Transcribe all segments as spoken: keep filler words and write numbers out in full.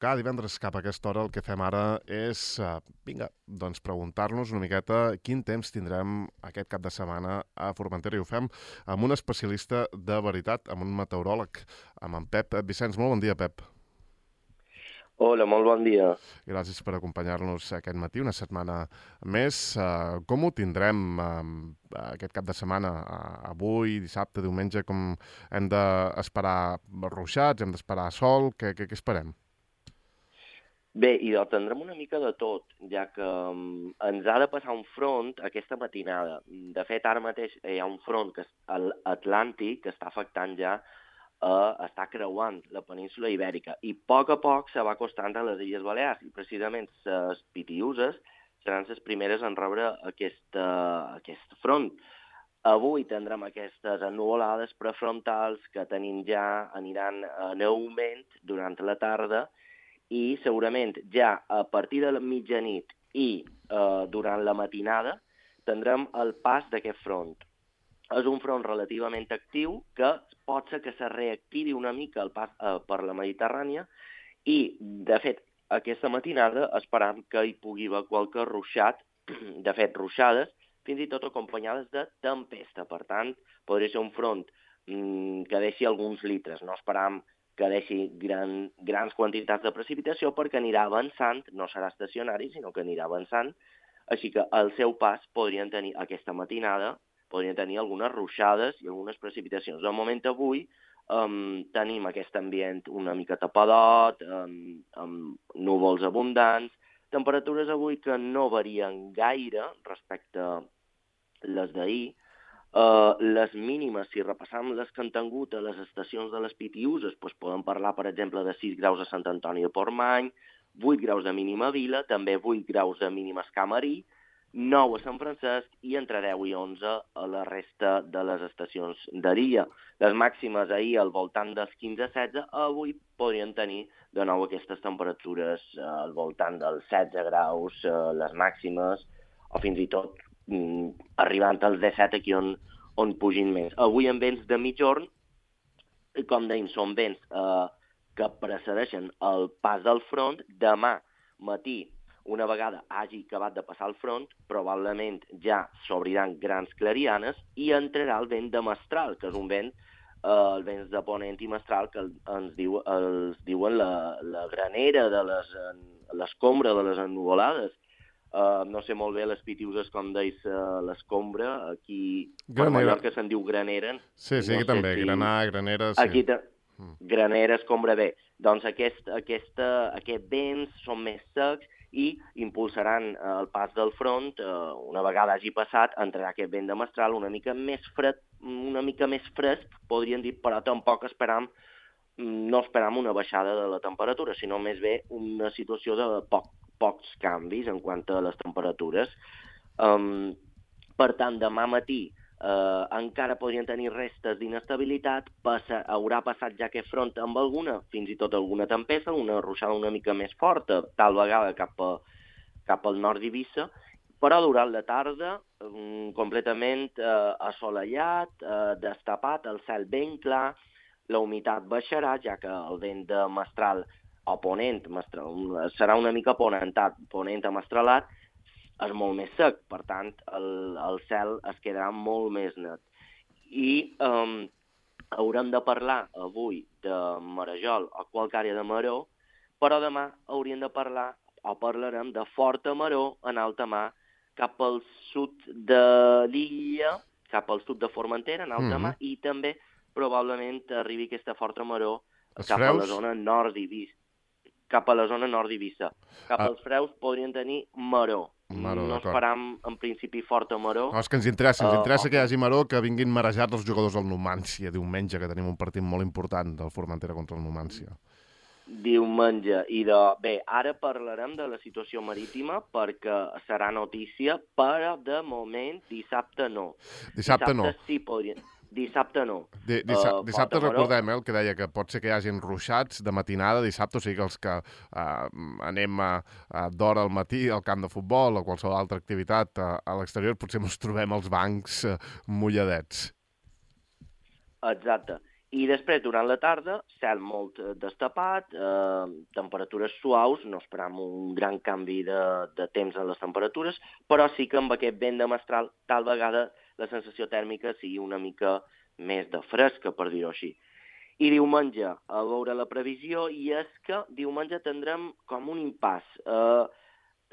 Cada divendres cap a aquesta hora el que fem ara és, uh, vinga, doncs preguntar-nos una miqueta quin temps tindrem aquest cap de setmana a Formentera, i ho fem amb un especialista de veritat, amb un meteoròleg, amb en Pep Vicenç. Molt bon dia, Pep. Hola, molt bon dia. Gràcies per acompanyar-nos aquest matí, una setmana més. Uh, com ho tindrem uh, aquest cap de setmana? Uh, avui, dissabte, diumenge, com hem d'esperar ruixats, hem d'esperar sol? Què, què, què esperem? Bé, i doncs tindrem una mica de tot, ja que um, ens ha de passar un front aquesta matinada. De fet, ara mateix hi ha un front que és l'Atlàntic que està afectant ja a estar creuant la península Ibèrica i a poc a poc se va acostant a les Illes Balears i precisament les Pitiüses seran les primeres en rebre aquesta, aquest front. Avui tindrem aquestes ennuvolades prefrontals que tenim ja, aniran en augment durant la tarda i segurament ja a partir de la mitjanit i eh, durant la matinada tindrem el pas d'aquest front. És un front relativament actiu que pot ser que se reactivi una mica el pas eh, per la Mediterrània i, de fet, aquesta matinada esperam que hi pugui haver qualque ruixat, de fet, ruixades, fins i tot acompanyades de tempesta. Per tant, podria ser un front mm, que deixi alguns litres. No esperam que deixi gran, grans quantitats de precipitació perquè anirà avançant, no serà estacionari, sinó que anirà avançant. Així que al seu pas podrien tenir aquesta matinada podrien tenir algunes ruixades i algunes precipitacions. De moment avui um, tenim aquest ambient una mica tapadot, um, amb núvols abundants, temperatures avui que no varien gaire respecte a les d'ahir. Uh, les mínimes, si repassam les que han tingut a les estacions de les Pitiüses, doncs podem parlar, per exemple, de sis graus a Sant Antoni de Portmany, vuit graus de mínima a Vila, també vuit graus de mínima a Escamarí, nou a Sant Francesc i entre deu i onze a la resta de les estacions d'Aria. Les màximes ahir al voltant dels quinze a setze, avui podrien tenir de nou aquestes temperatures eh, al voltant dels setze graus, eh, les màximes, o fins i tot mm, arribant als disset aquí on, on pugin més. Avui amb vents de mitjorn, com dèiem, són vents eh, que precedeixen el pas del front. Demà matí, una vegada hagi acabat de passar el front, probablement ja s'obriran grans clarianes i entrarà el vent de mestral, que és un vent, eh, el vent de ponent i mestral, que ens diu, els diuen la, la granera de les, l'escombra de les ennuvolades. Uh, no sé molt bé les Pitiüses com deis uh, l'escombra, aquí per Mallorca se'n diu granera. Sí, sí, no aquí també, si... granar, granera, sí. Aquí te... Granera, escombra, bé. Doncs aquest, aquesta, aquests vents són més secs i impulsaran eh, el pas del front, eh, una vegada hagi passat, entrarà aquest vent de mestral una mica més fred, una mica més fresc, podríem dir, però tampoc esperam, no esperam una baixada de la temperatura, sinó més bé una situació de poc, pocs canvis en quant a les temperatures. Um, per tant, demà matí Uh, encara podrien tenir restes d'inestabilitat, passa, haurà passat ja aquest front amb alguna, fins i tot alguna tempesta, una ruixada una mica més forta, tal vegada cap, a, cap al nord d'Eivissa, però durant la tarda um, completament uh, assolellat, uh, destapat, el cel ben clar, la humitat baixarà, ja que el vent de mestral o ponent, mestral, serà una mica ponentat, ponent a mestralat, és molt més sec, per tant, el, el cel es quedarà molt més net. I um, haurem de parlar avui de marejol o qualque àrea de maror, però demà hauríem de parlar o parlarem de forta maror en alta mar cap al sud de l'illa, cap al sud de Formentera, en alta mar, mm-hmm. i també probablement arribi aquesta forta maror Els cap freus? a la zona nord d'Eivissa. Cap a la zona nord d'Eivissa. Cap ah. als freus podrien tenir maror. Maró, no esperam, en principi, forta maró. No, és que ens interessa, ens interessa uh, que hi hagi maró, que vinguin marejats els jugadors del Numància diumenge, que tenim un partit molt important del Formentera contra el Numància. Diumenge. I de... Bé, ara parlarem de la situació marítima perquè serà notícia, però de moment dissabte no. Dissabte, dissabte no. Sí, podrien... Dissabte no. Di dissa uh, dissabte recordem, eh, el que deia, que pot ser que hi hagin ruixats de matinada dissabte, o sigui que els que uh, anem a, a d'hora al matí al camp de futbol o qualsevol altra activitat uh, a l'exterior, potser ens trobem als bancs uh, mulladets. Exacte. I després, durant la tarda, cel molt destapat, eh, temperatures suaus, no esperam un gran canvi de, de temps en les temperatures, però sí que amb aquest vent de mestral tal vegada la sensació tèrmica sigui una mica més de fresca, per dir-ho així. I diumenge, a veure la previsió, i és que diumenge tindrem com un impàs. Eh,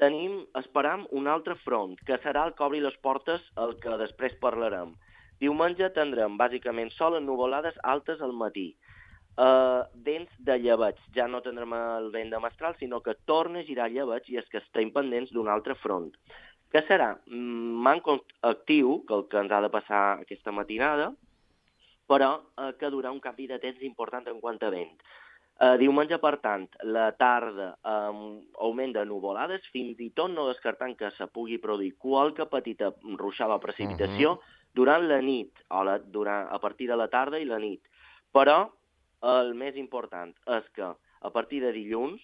tenim, esperam, un altre front, que serà el que obri les portes, el que després parlarem. Diumenge tindrem, bàsicament, sol ennuvolades altes al matí. Uh, vents de llebeig. Ja no tindrem el vent de mestral, sinó que torna a girar llebeig i és que estem pendents d'un altre front. Què serà? Manco actiu, que el que ens ha de passar aquesta matinada, però uh, que durà un canvi de temps important en quant a vent. Uh, diumenge, per tant, la tarda amb um, augment de nuvolades, fins i tot no descartant que se pugui produir qualque petita ruixada de precipitació uh -huh. durant la nit, o la, durant, a partir de la tarda i la nit. Però el més important és que a partir de dilluns,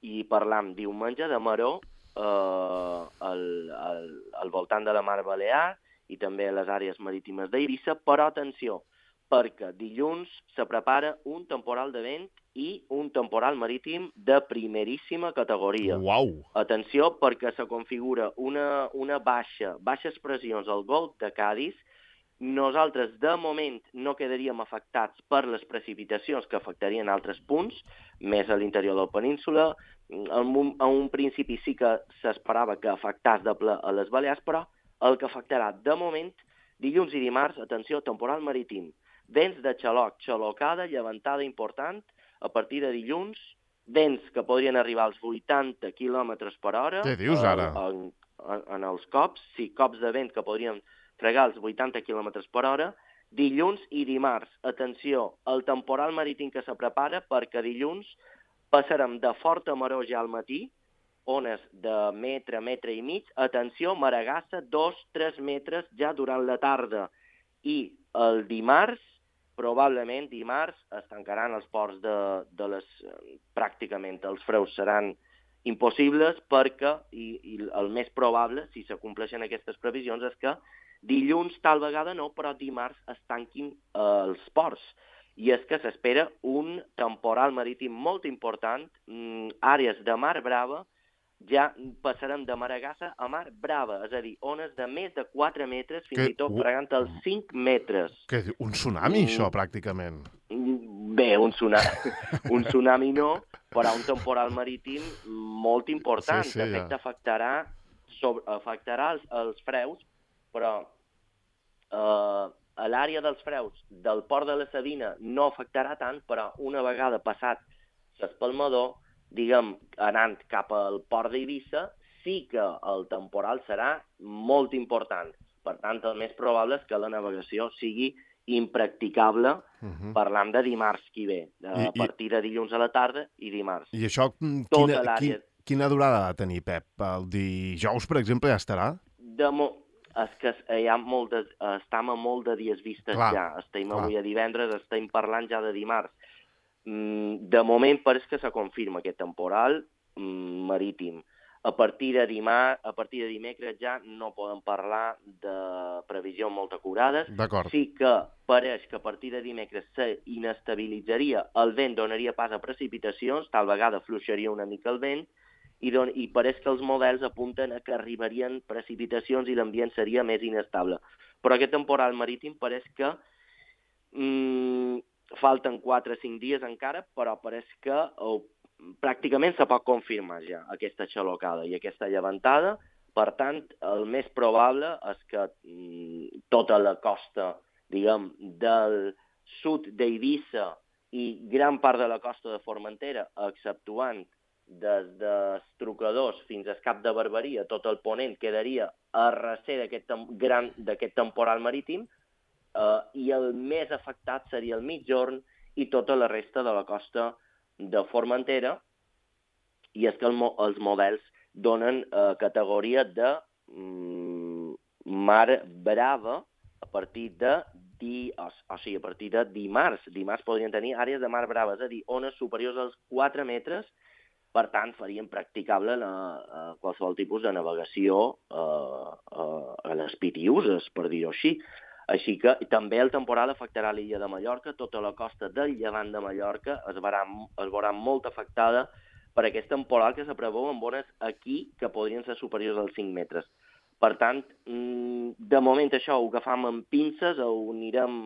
i parlam diumenge, de maror eh, al, al, al voltant de la Mar Balear i també a les àrees marítimes d'Eivissa, però atenció, perquè dilluns se prepara un temporal de vent i un temporal marítim de primeríssima categoria. Uau! Atenció, perquè se configura una, una baixa, baixes pressions al golf de Cádiz. Nosaltres, de moment, no quedaríem afectats per les precipitacions que afectarien altres punts, més a l'interior de la península. En un, en un principi sí que s'esperava que afectés de ple a les Balears, però el que afectarà, de moment, dilluns i dimarts, atenció, temporal marítim. Vents de xaloc, xalocada, llevantada important, a partir de dilluns, vents que podrien arribar als vuitanta quilòmetres per hora. Què dius ara? En, en, en els cops, sí, cops de vent que podrien fregar els vuitanta quilòmetres per hora. Dilluns i dimarts, atenció, el temporal marítim que se prepara, perquè dilluns passarem de forta maror ja al matí, ones de metre, metre i mig, atenció, maregassa, dos, tres metres ja durant la tarda. I el dimarts, probablement dimarts, es tancaran els ports de, de les... pràcticament els freus seran impossibles perquè, i, i el més probable, si s'acompleixen aquestes previsions, és que dilluns tal vegada no, però dimarts es tanquin eh, els ports. I és que s'espera un temporal marítim molt important, mm, àrees de mar brava, ja passarem de maregassa a mar brava, és a dir, ones de més de quatre metres, fins que... i tot fregant els cinc metres. Què diu? Un tsunami, mm. això, pràcticament? Bé, un tsunami, un tsunami no, però un temporal marítim molt important. Sí, sí, de fet, ja. afectarà, sobre, afectarà els, els freus, però eh, a l'àrea dels freus del port de la Sabina no afectarà tant, però una vegada passat l'espalmador, diguem, anant cap al port d'Eivissa, sí que el temporal serà molt important. Per tant, el més probable és que la navegació sigui impracticable, uh-huh. parlant de dimarts qui ve, a I, partir de dilluns a la tarda i dimarts. I això, quina, quina, quina durada ha de tenir, Pep? El dijous, per exemple, ja estarà? De mo és que hi ha molt de, estem a molt de dies vistes clar, ja. Estem clar. avui a divendres, estem parlant ja de dimarts. De moment pareix que se confirma aquest temporal marítim. A partir de dimar, a partir de dimecres ja no podem parlar de previsions molt acurades. Sí que pareix que a partir de dimecres s'inestabilitzaria, el vent donaria pas a precipitacions, tal vegada fluixaria una mica el vent, i, don i pareix que els models apunten a que arribarien precipitacions i l'ambient seria més inestable. Però aquest temporal marítim pareix que mm, falten quatre o cinc dies encara, però pareix que oh, pràcticament se pot confirmar ja aquesta xalocada i aquesta llevantada. Per tant, el més probable és que mm, tota la costa, diguem, del sud d'Eivissa i gran part de la costa de Formentera, exceptuant des dels Trucadors fins al Cap de Barberia, tot el ponent quedaria a recer d'aquest gran d'aquest temporal marítim, eh, i el més afectat seria el migjorn i tota la resta de la costa de Formentera, i és que el, els models donen eh, categoria de mm, mar brava a partir de di, o, o sigui, a partir de dimarts. Dimarts podrien tenir àrees de mar brava, és a dir, ones superiors als quatre metres. Per tant, farien practicable la, uh, qualsevol tipus de navegació uh, uh, a les Pitiuses, per dir-ho així. Així que també el temporal afectarà l'illa de Mallorca, tota la costa del llevant de Mallorca es veurà, es veurà molt afectada per aquest temporal que se preveu amb ones aquí que podrien ser superiors als cinc metres. Per tant, de moment això ho agafam amb pinces, ho anirem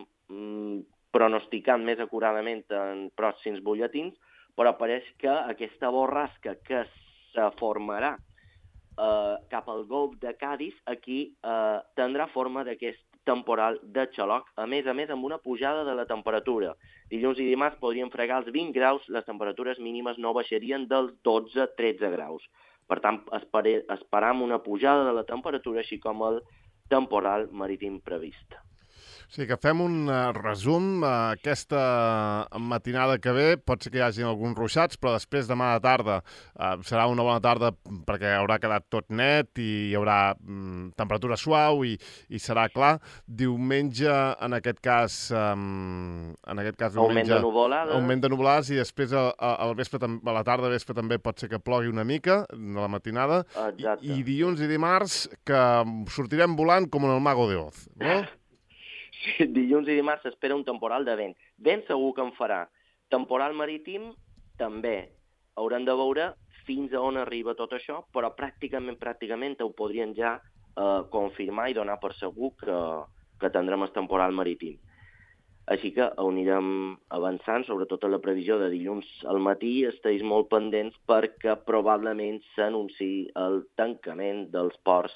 pronosticant més acuradament en pròxims butlletins, però pareix que aquesta borrasca que se formarà eh, cap al golf de Cádiz aquí eh, tindrà forma d'aquest temporal de xaloc, a més a més amb una pujada de la temperatura. Dilluns i dimarts podrien fregar els vint graus, les temperatures mínimes no baixarien dels dotze a tretze graus. Per tant, esperam una pujada de la temperatura, així com el temporal marítim previst. O sigui que fem un uh, resum. Uh, aquesta matinada que ve pot ser que hi hagi alguns ruixats, però després demà de tarda uh, serà una bona tarda perquè haurà quedat tot net i hi haurà um, temperatura suau i, i serà clar. Diumenge, en aquest cas... Um, en aquest cas diumenge, augment de nuvolades. Augment de nuvolades i després a, a, a, vespre, a la tarda vespre també pot ser que plogui una mica a la matinada. Exacte. I, i dilluns i dimarts que sortirem volant com en el Mago de Oz, no? Sí, dilluns i dimarts s'espera un temporal de vent. Ben segur que en farà. Temporal marítim, també. Haurem de veure fins a on arriba tot això, però pràcticament, pràcticament ho podrien ja eh, confirmar i donar per segur que, que tindrem el temporal marítim. Així que ho anirem avançant, sobretot a la previsió de dilluns al matí, estiguis molt pendents perquè probablement s'anunciï el tancament dels ports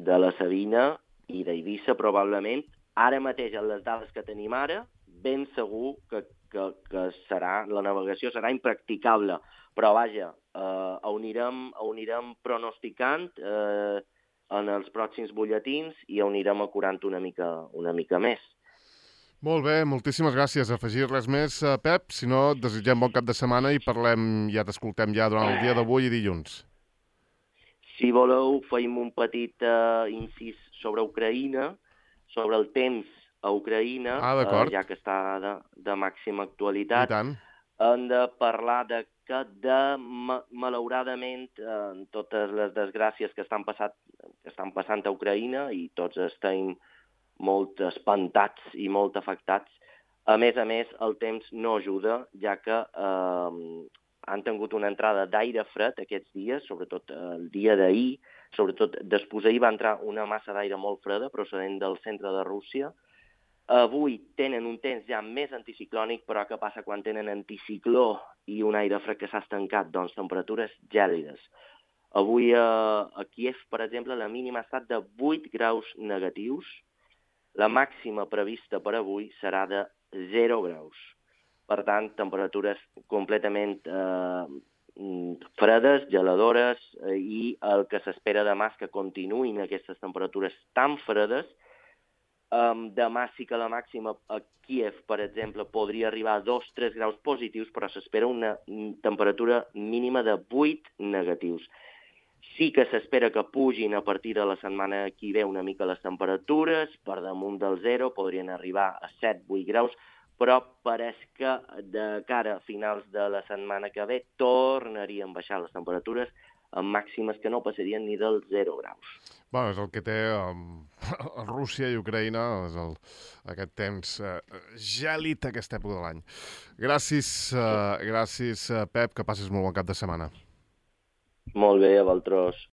de la Sabina i d'Eivissa, probablement. Ara mateix, en les dades que tenim ara, ben segur que, que, que serà, la navegació serà impracticable. Però, vaja, eh, ho, anirem, ho anirem pronosticant eh, en els pròxims butlletins i ho anirem acurant una mica, una mica més. Molt bé, moltíssimes gràcies. Afegir res més, Pep? Si no, et desitgem bon cap de setmana i parlem, ja t'escoltem ja durant el dia d'avui i dilluns. Si voleu, feim un petit uh, incís sobre Ucraïna, sobre el temps a Ucraïna, ah, uh, ja que està de, de màxima actualitat. I tant. Hem de parlar de que, de, ma, malauradament, uh, totes les desgràcies que estan, passat, que estan passant a Ucraïna, i tots estem molt espantats i molt afectats, a més a més, el temps no ajuda, ja que uh, han tingut una entrada d'aire fred aquests dies, sobretot el dia d'ahir, sobretot després d'ahir va entrar una massa d'aire molt freda procedent del centre de Rússia. Avui tenen un temps ja més anticiclònic, però què passa quan tenen anticicló i un aire fred que s'ha estancat? Doncs temperatures gèlides. Avui a, a Kíev, per exemple, la mínima ha estat de vuit graus negatius. La màxima prevista per avui serà de zero graus. Per tant, temperatures completament eh, fredes, geladores, eh, i el que s'espera demà és que continuïn aquestes temperatures tan fredes. Um, demà sí que la màxima a Kíev, per exemple, podria arribar a dos a tres graus positius, però s'espera una temperatura mínima de vuit negatius. Sí que s'espera que pugin a partir de la setmana que ve una mica les temperatures, per damunt del zero, podrien arribar a set a vuit graus, però pareix que de cara a finals de la setmana que ve tornarien a baixar les temperatures amb màximes que no passarien ni dels zero graus. Bueno, és el que té um, Rússia i Ucraïna, és el, aquest temps uh, gèlid aquesta època de l'any. Gràcies, uh, gràcies uh, Pep, que passis molt bon cap de setmana. Molt bé, a vosaltres.